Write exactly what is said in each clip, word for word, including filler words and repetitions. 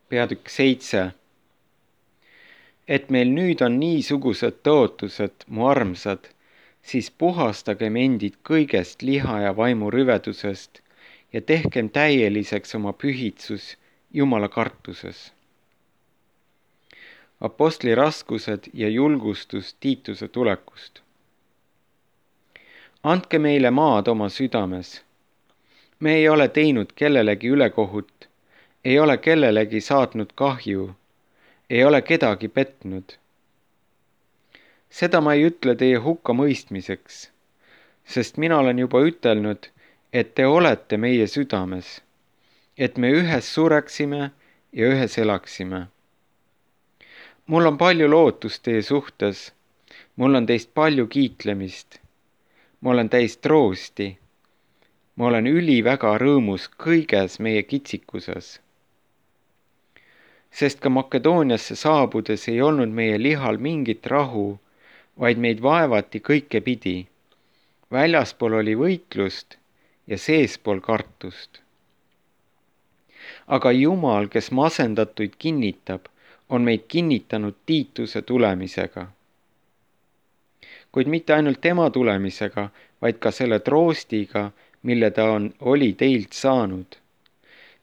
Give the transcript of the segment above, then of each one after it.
Peatükk seitse. Et meil nüüd on niisugused tõotused, mu armsad, siis puhastagem endid kõigest liha ja vaimu rüvedusest ja tehkem täieliseks oma pühitsus Jumala kartuses. Apostli raskused ja julgustus Tiituse tulekust. Andke meile maad oma südames. Me ei ole teinud kellelegi ülekohut, ei ole kellelegi saatnud kahju, ei ole kedagi petnud. Seda ma ei ütle teie hukka mõistmiseks, sest mina olen juba ütelnud, et te olete meie südames, et me ühes sureksime ja ühes elaksime. Mul on palju lootust teie suhtes, mul on teist palju kiitlemist, ma olen täis troosti, ma olen üliväga rõõmus kõiges meie kitsikuses. Sest ka Makedooniasse saabudes ei olnud meie lihal mingit rahu, vaid meid vaevati kõike pidi. Väljaspool oli võitlust ja seespool kartust. Aga Jumal, kes masendatuid kinnitab, on meid kinnitanud Tiituse tulemisega. Kuid mitte ainult tema tulemisega, vaid ka selle troostiga, mille ta on, oli teilt saanud.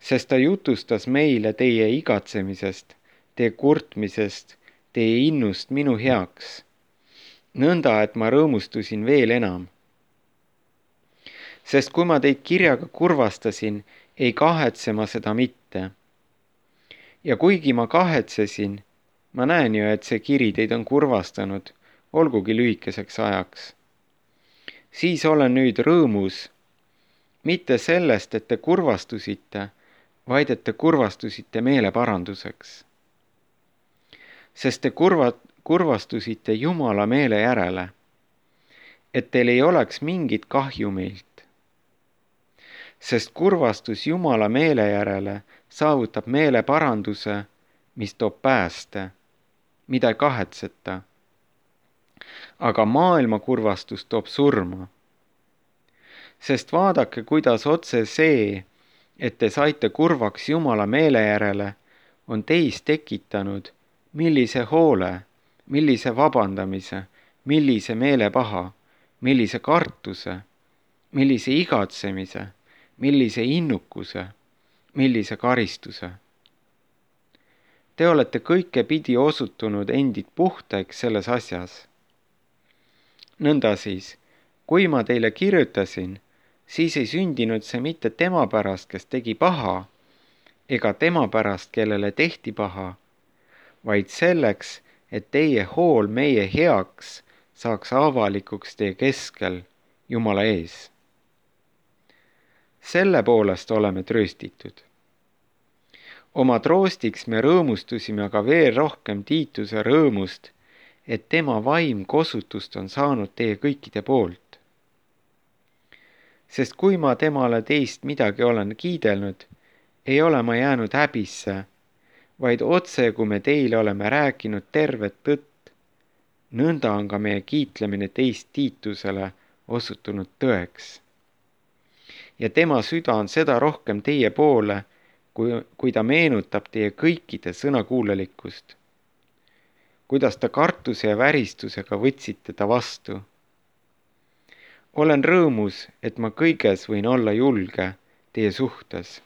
Sest ta jutustas meile teie igatsemisest, teie kurtmisest, teie innust minu heaks, nõnda, et ma rõõmustusin veel enam. Sest kui ma teid kirjaga kurvastasin, ei kahetse ma seda mitte. Ja kuigi ma kahetsesin, ma näen ju, et see kiri teid on kurvastanud, olgugi lühikeseks ajaks. Siis olen nüüd rõõmus, mitte sellest, et te kurvastusite, vaid et te kurvastusite meeleparanduseks. Sest te kurva, kurvastusite Jumala meele järele, et teil ei oleks mingit kahju meilt. Sest kurvastus Jumala meele järele saavutab meeleparanduse, mis toob pääste, mida ei kahetseta. Aga maailma kurvastus toob surma. Sest vaadake, kuidas otse see, et te saite kurvaks Jumala meele järele, on teis tekitanud, millise hoole, millise vabandamise, millise meelepaha, millise kartuse, millise igatsemise, millise innukuse, millise karistuse. Te olete kõike pidi osutunud endid puhtaks selles asjas. Nõnda siis, kui ma teile kirjutasin, siis ei sündinud see mitte tema pärast, kes tegi paha, ega tema pärast, kellele tehti paha, vaid selleks, et teie hool meie heaks saaks avalikuks teie keskel Jumala ees. Selle poolest oleme trööstitud. Oma troostiks me rõõmustusime aga veel rohkem Tiituse rõõmust, et tema vaim kosutust on saanud teie kõikide poolt. Sest kui ma temale teist midagi olen kiidelnud, ei ole ma jäänud häbisse, vaid otse, kui me teile oleme rääkinud tervet tõtt, nõnda on ka meie kiitlemine teist Tiitusele osutunud tõeks. Ja tema süda on seda rohkem teie poole, kui, kui ta meenutab teie kõikide sõnakuulelikkust. Kuidas ta kartuse ja väristusega võtsite ta vastu. Olen rõõmus, et ma kõiges võin olla julge teie suhtes.